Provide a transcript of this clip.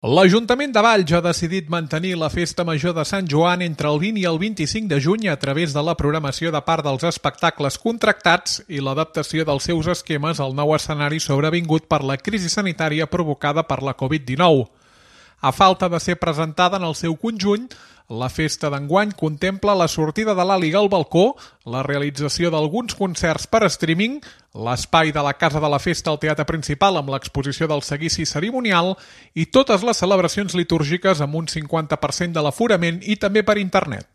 L'Ajuntament de Valls ha decidit mantenir la Festa Major de Sant Joan entre el 20 i el 25 de juny a través de la programació de part dels espectacles contractats i l'adaptació dels seus esquemes al nou escenari sobrevingut per la crisi sanitària provocada per la Covid-19. A falta de ser presentada en el seu conjunt, la festa d'enguany contempla la sortida de l'Àliga al balcó, la realització d'alguns concerts per streaming, l'espai de la Casa de la Festa al teatre principal amb l'exposició del seguici cerimonial i totes les celebracions litúrgiques amb un 50% de l'aforament i també per internet.